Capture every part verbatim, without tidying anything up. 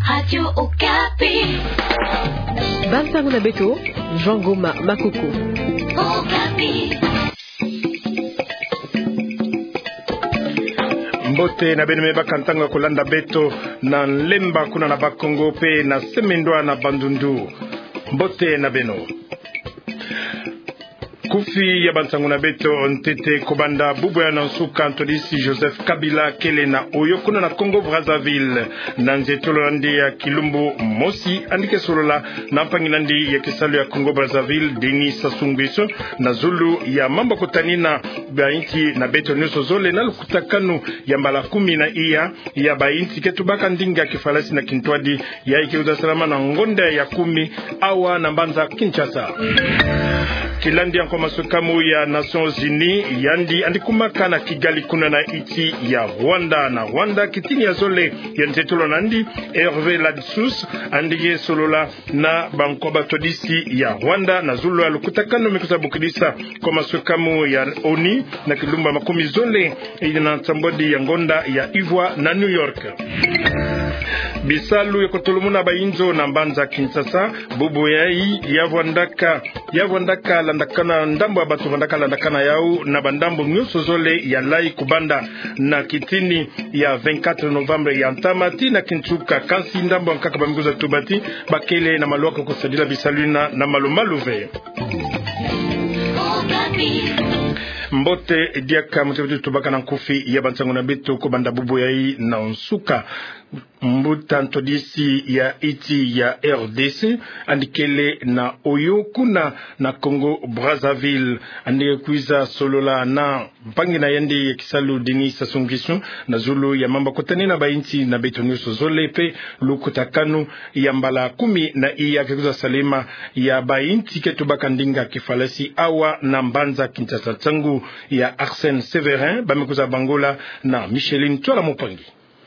Radio Okapi. Bansango na beto, Jean Goma Makuku. Okapi. Mbote na beno, me baka ntango ya kolanda beto na Lemba kuna na Bas-Congo pe na Seme-Ndwa na Bandundu. Mbote na beno. Nkufi ya bansango na beto ntete: kobanda bubu ya na nsuka, ntwadisi Joseph Kabila kele na Oyo kuna na Congo Brazzaville. Na nzietolo na yandi ya kilumbu mosi, yandi ke solola na mpangi na yandi ya kisalu ya Congo Brazzaville, Denis Sassou Nguesso, na zulu ya mambu ya kutani na bainsi na beto nyonso zole na lukutakanu ya mbala kumi na iya ya bainsi ke tubaka ndinga kifalasi na kintwadi, yayi ke kwiza salama na ngonda ya kumi awa na mbanza Kinshasa. Kilandi ya nkwa masukamu ya Nations Unies, yandi yandi kumaka na Kigali kuna na insi ya Rwanda. Na Rwanda, kitini ya zole ya nzietolo na yandi, Hervé Ladsous, yandi ke solola na bankwa batwadisi ya Rwanda na zulu ya lukutakanu me kwiza bokidisa nkwa masukamu ya ONU na kilumbu ya makumi zole na nsambwadi ya ngonda ya ivwa na New York. Bisalu ya kotolomuna bainzo na mbanza Kinshasa, bubu yayi ya vwandaka, ya vwandaka landakana, ndambu ya bato vwandaka landakana yau na bandambu nyonso zole ya Layi, kobanda na kitini ya vingt-quatre novembre ya ntama tii na kinsuka. Kansi ndambu ya nkaka ba me kwiza tuba ti ba kele na malu ya kosadila bisalu yina na malu-malu ve. Mbote diaka, mbote diaka, tubaka na nkufi ya bansango na beto kobanda bubu yayi na nsuka. Mbuta ntwadisi ya insi ya R D C, yandi kele na Oyo kuna na Congo Brazzaville, yandi kwiza solola na mpangi na yandi ya kisalu, Denis Sassou Nguesso, na zulu ya mambu ya kutani na bainsi na beto nyonso zole pe lukutakanu ya mbala kumi na iya ke kwiza salama ya bainsi ke tubaka ndinga kifalasi awa na mbanza Kinshasa. Nsangu ya Arsène Séverin, ba me kwiza bangula na Micheline Ntwala Mpangi.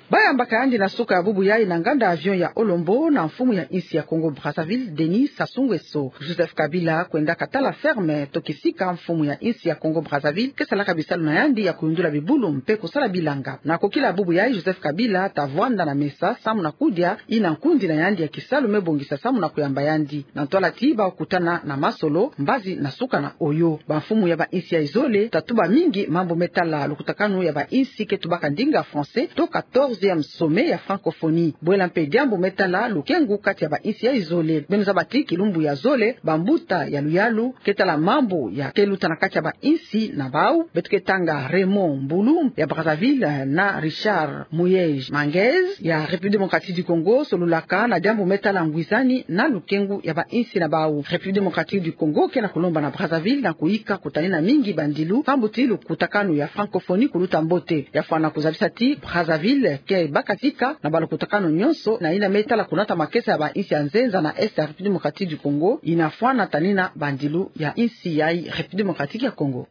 Ba yambaka yandi na suka ya bubu yayi na nganda avion ya Olombo na mfumu ya insi ya Congo Brazzaville, Denis Sassou Nguesso. Joseph Kabila kwendaka tala ferme to kisika mfumu ya insi ya Congo Brazzaville ke salaka bisalu na yandi ya kuyundula bibulu mpe kusala bilanga. Na kokila bubu yayi, Joseph Kabila ta vwanda na mesa samu na kudia yina nkundi na yandi ya kisalu me bongisa samu na kuyamba yandi. Na ntwala ti ba kutana na masolo mbazi na suka na Oyo. Bamfumu ya bainsi yayi zole ta tuba mingi mambu me tala lukutakanu ya bainsi ke tubaka ndinga français to quatorzième sommet ya francophonie. Bwela mpe diambu me tala lukengu kati ya bainsi yayi zole. Beno zaba ti kilumbu ya zole, bambuta ya luyalu ke tala mambu ya ke luta na kati ya bainsi na bau, beto ke tanga Raymond Mbulu ya Brazzaville na Richard Muyej Manguez ya République Démocratique du Congo, solulaka na diambu me tala ngwizani na lukengu ya bainsi na bau. République Démocratique du Congo ke na kulomba na Brazzaville na kuyika kutanina mingi bandilu, pambu ti lukutakanu ya francophonie kuluta mbote. Ya fwana kuzabisa ti Brazzaville ke baka tika na balukutakanu nyonso na yina me tala kunata makesa ya bainsi ya nzenza na Est ya République Démocratique du Congo, yina fwana tanina bandilu ya insi yayi République Démocratique ya Congo.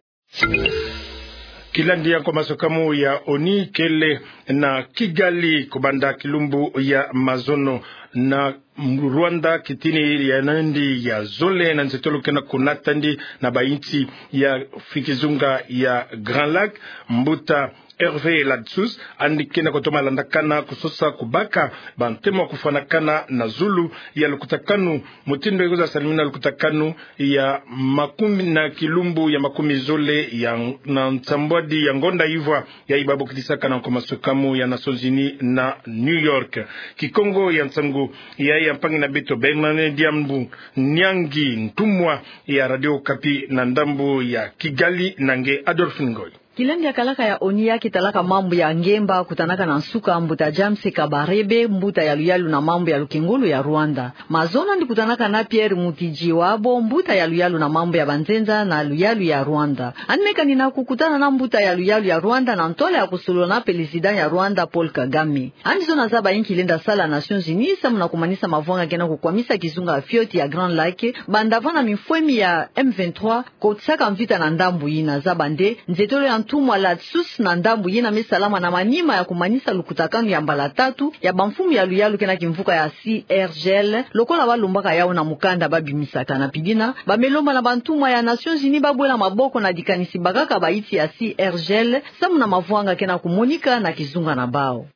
Kilandi ya nkwa masukamu ya ONU kele na Kigali kobanda kilumbu ya mazono na Rwanda, kitini ya yandi ya zole na nzietolo ke na kunata yandi na bainsi ya kizunga ya Grand Lac. Mbuta Hervé Ladsous, yandi ke na kutoma landakana kusosa kubaka bantemo ya kufwanakana na zulu ya lukutakanu, mutindu ya kwiza salamina lukutakanu ya makumi na kilumbu ya makumi zole ya na nsambwadi ya ngonda ivwa, yayi ba bokidisaka na nkwa masukamu ya Nations Unies na New York. Kikongo ya nsangu yayi ya mpangi na beto Bernard Diambu Nyangi, ntumwa ya Radio Okapi na ndambu ya Kigali, na nge Adolphe Ngoy. Kilandi ya kalaka ya ONU ya ke talaka mambu ya ngemba kutanaka na nsuka mbuta James Kabarebe, mbuta ya luyalu na mambu ya lukengolo ya Rwanda. Mazono yandi kutanaka na Pierre Mutijawabo, mbuta ya luyalu na mambu ya banzenza na luyalu ya Rwanda. Yandi me kanina kukutana na mbuta ya luyalu ya Rwanda na ntwala ya kusolola na président ya Rwanda, Paul Kagame. Yandi zona zaba inki lenda sala Nations Unies samu na kumanisa mavwanga ke na kukwamisa kizunga ya fioti ya Grand Lac, banda vana mifwemi ya M vingt-trois kotisaka mvita na ndambu yina. Zaba nde nzietolo ya ntumwa Ladsous na ndambu yina me salama na manima ya kumanisa lukutakanu ya mbala tatu ya bamfumu ya luyalu ke na kimvuka ya C R G L, lokola ba lombaka yau na mukanda ba bimisaka. Na pidina, ba me lomba na bantumwa ya Nations Unies ba bwela maboko na dikanisi bakaka bainsi ya C R G L samu na mavwanga ke na kumonika na kizunga na bau.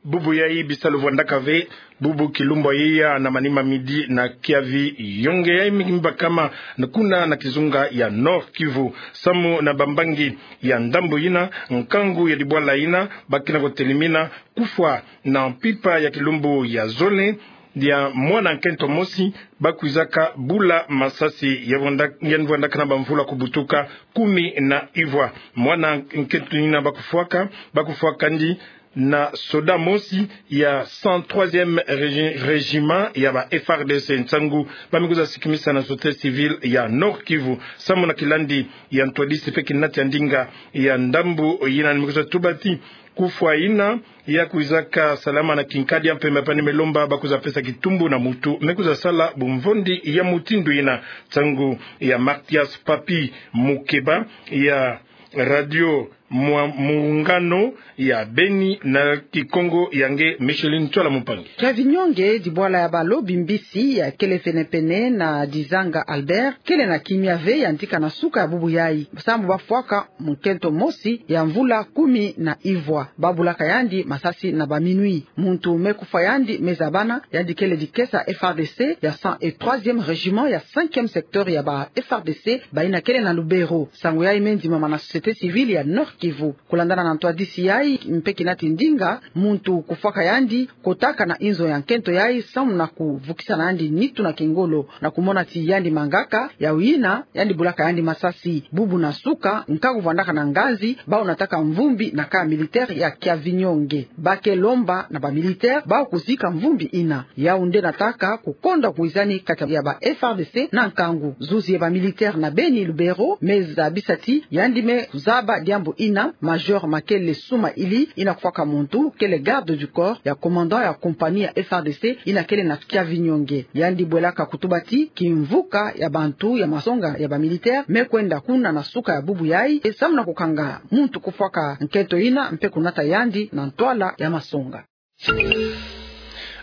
Bubu yayi bisalu vwandaka ve bubu kilumbu ya na manima midi na kiavi yonge yayi mingi mbakama na kuna na kizunga ya Nord-Kivu. Samu na bambangi ya ndambu yina, nkangu ya dibwala yina, bakina kotelimina kufwa na mpimpa ya kilumbu ya zole ya mwana nkento mosi, bakwizaka bula masasi ya vwanda-, ya vwandaka na bamvula kubutuka kumi na ivwa. Mwana nkento yina bakufwaka, bakufwakandi na soda mosi ya cent troisième régi-, régiment ya ba F R D C. Nsangu bamikuza sikimisa na société civile ya Nord-Kivu. Samu na kilandi ya ntwadisi pe kinati ya ndinga ya ndambu yina, mikuza tuba ti kufwa yina yakwizaka salama na kinkadi ya mpemba, pani me lomba bakuza pesa kitumbu na mutu mekuza sala bumvondi ya mutindu yina. Nsangu ya Mathias Papi Mukeba ya Radio Mwa-, Muungano ya Beni na Kikongo ya nge Micheline Tsola Mumpangi. Kiavi Nyonge, dibwala ya balobi mbisi ya kele penepene na Dizanga Albert, kele na kimia ve yandi ka na suka ya bubu yayi. Samu bafwaka munkento mosi ya mvula kumi na ivwa, babulaka yandi masasi na ba minuit. Muntu mekufwa yandi mezabana, yandi kele dikesa F R D C ya cent et troisième régiment ya cinquième secteur ya ba F R D C, bayina kele na Lubero. Nsangu yayi mendimama na société civile ya Nord-Kivu. Kulandana na ntwadisi yayi mpe kinati ndinga, muntu kufwaka yandi kotaka na inzo ya nkento yayi samu na kuvukisa na yandi nitu na kingolo, na kumona ti yandi mangaka, yawu yina yandi bulaka yandi masasi. Bubu na suka, nkangu vwandaka na nganzi, bawu nataka mvumbi na camp militaire ya Kiavinyonge. Ba ke lomba na ba militaire bawu kuzika mvumbi yina. Yawu nde nataka kukonda kwizani kati ya ba F R D C na nkangu. Zuzi ya ba militaire na Beni Lubero mezabisa ti yandi mezaba diambu yina, Major Makele Suma Ili, yina kufwaka muntu kele garde du corps ya commandant ya compagnie ya F R D C yina kele na Kiavinyonge. Yandi bwelaka kutuba ti kimvuka ya bantu ya masonga ya ba militaire mekwenda kuna na suka ya bubu yayi, e samu na kukanga muntu kufwaka nkento yina mpe kunata yandi na ntwala ya masonga.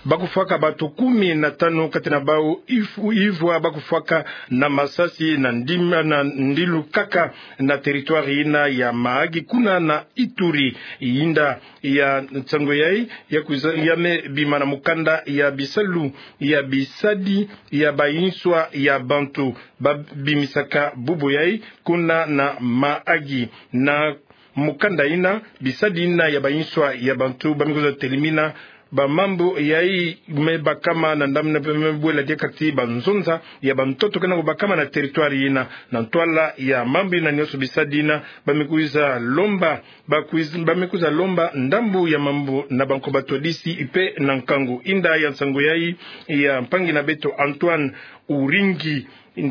Bakufwaka bantu kumi na tanu, kati na bawu ifu-, ivwa bakufwaka na masasi na ndima, na ndilu kaka na territoire yina ya Mahagi, kuna na Ituri. Inda ya nsangu yayi yakwiza, yamebima na mukanda ya bisalu ya bisadi ya bayinswa ya bantu babimisaka bubu yayi kuna na Mahagi. Na mukanda yina, bisadi yina ya bayinswa ya bantu bamikuza telimina bamambu yayi mebakama na ndambu yina mpe mebwela diaka ti banzonza ya bantoto kena kubakama na territoire yina. Na ntwala ya mambu yina nyonso, bisadi yina bamikuza lomba, bakwiz-, bamikuza lomba ndambu ya mambu na banko batwadisi mpe na nkangu. Inda ya nsangu yayi ya mpangi na beto Antoine Uringi,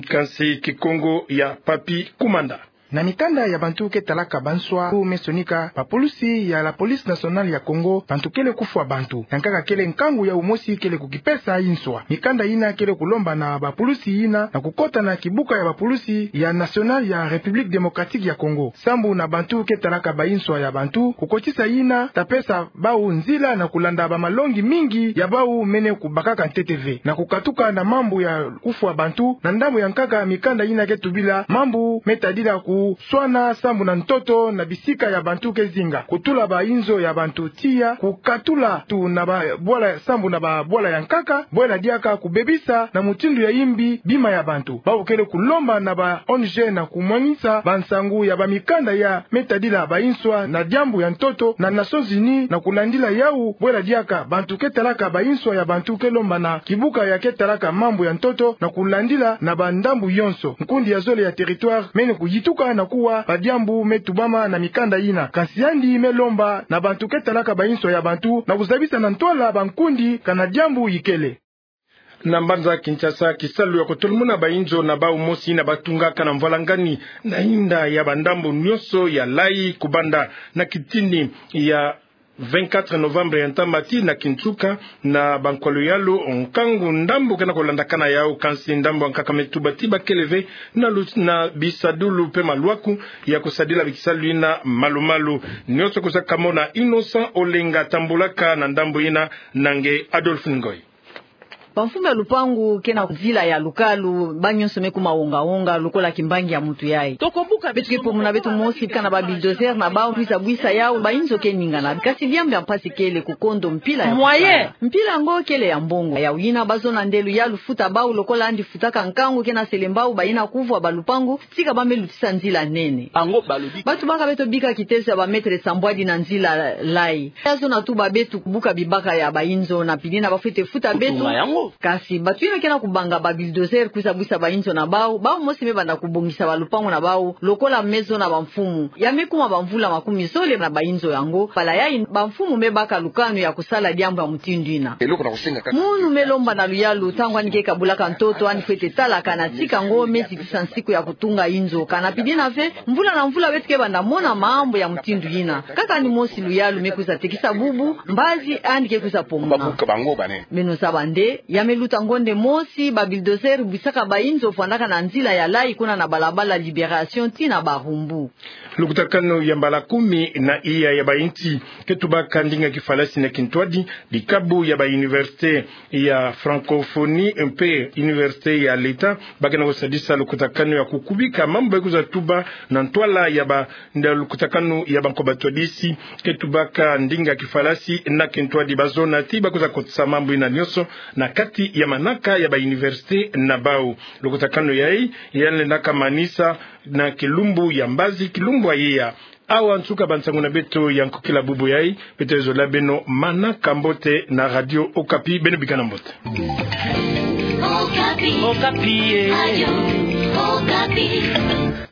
kansi Kikongo ya Papy Kumanda. Na mikanda ya bantu ke talaka banswa, mesonika bapulusi ya la Police Nationale ya Congo, bantu kele kufwa bantu. Yankaka kele nkangu yawu mosi kele kukipesa inswa. Mikanda yina kele kulomba na bapulusi yina na kukota na kibuka ya bapulusi ya nationale ya République Démocratique ya Congo, sambu na bantu ke talaka bainswa ya bantu, kukotisa yina ta pesa bawu nzila na kulanda bamalongi mingi ya bawu mene kubakaka ntete ve, na kukatuka na mambu ya kufwa bantu. Na ndambu ya nkaka, mikanda yina ke tubila mambu me tadila kuswana sambu na ntoto na bisika ya bantu ke zinga, kutula bainzo ya bantu tiya, kukatula tu na babwala sambu na babwala ya nkaka, bwela diaka kubebisa na mutindu ya imbi bima ya bantu. Bawu kele kulomba na ba O N G na kumwanisa bansangu ya bamikanda ya me tadila bainswa na diambu ya ntoto na Nations Unies na kulandila yawu, bwela diaka bantu ke talaka bainswa ya bantu ke lomba na kibuka ya ke talaka mambu ya ntoto na kulandila na bandambu yonso. Nkundi ya zole ya territoire mene kuyituka na kuwa badiambu me tubama na mikanda yina. Kansi yandi me lomba na bantu ke talaka bainswa ya bantu na kuzabisa na ntwala bankundi kana diambu yikele. Na mbanza Kinshasa, kisalu ya kutolumuna bainzo na bawu mosi yina batungaka na mvwalangani na inda ya bandambu nyonso ya Layi, kubanda na kitini ya vingt-quatre novembre ya ntama tii na Kinsuka, na bankwalu yalu, nkangu ndambu kena kulandakana yawu. Kansi ndambu ya nkaka me tuba ti bakele ve na lu-, na bisadulu mpe malwaku ya kusadila bikisalu yina malu-malu. Nyonso kwiza kamona Innocent Olenga, tambulaka na ndambu yina na nge Adolphe Ngoy. Bamfumu ya lupangu ke na nzila ya lukalu, banyonso me kuma wonga-wonga lokola kimbangi ya mutu yayi. Beto ke pomona beto mosi bika na ba bulldozer na bau kwiza bwisa yawu bainzo ke ningana. Kasi diambu ya mpasi kele kukondo mpila ya moyen. Mpila yango kele ya mbongo. Yawu yina bazona nde luyalu futa bau lokola yandi futaka nkangu ke na selembao bayina kuvwa balupangu, tika ba me lutisa nzila nene. Bantu baka beto bika kitezo ya ba mètre sambwadi na nzila layi. Ya zona tuba beto kubuka bibaka ya bainzo na pili yina ba fwete futa beto. Kasi bantu yina ke na kubanga ba bulldozer kwiza bwisa bainzo na bau, bau mosi me banda kubongisa balupangu na bau, lokola me zona bamfumu. Ya me kuma bamvula makumi zole na bainzo yango. Bala yayi bamfumu me baka lukanu ya kusala diambu ya mutindu yina. Munu me lomba na luyalu, ntangu yandi ke kabulaka ntoto, yandi fwete talaka na tika yango me zitisa nsiku ya kutunga inzo. Kana pili yina ve, mvula na mvula beto ke banda mona mambu ya mutindu yina. Kaka yandi mosi luyalu me kwiza tekisa bubu, mbazi yandi ke kwiza pomona. Beno zaba nde, ya me luta ngonde mosi, ba bulldozer bwisaka bainzo fwandaka na nzila ya layi kuna na balabala Libération tii na Barumbu. Lukutakanu ya mbala kumi na iya ya bainsi ke tubaka ndinga kifalasi na kintwadi, bikabu ya ba université ya francophonie mpe université ya l'État, ba ke na kusadisa lukutakanu ya kukubika mambu ba kwiza tuba na ntwala ya ba nda lukutakanu ya bankoba twadisi ke tubaka ndinga kifalasi na kintwadi. Bazona ti ba kwiza kotisa mambu yina nyonso na kati ya manaka ya ba université na bau. Lukutakanu yayi ya lenda kamanisa na kilumbu ya mbazi, kilumbu ya iya. Awa nsuka bansangu na beto ya nkokila bubu yayi. Beto zola beno manaka mbote na Radio Okapi, beno bikana mbote. Okapi. Okapi, eh. Radio Okapi.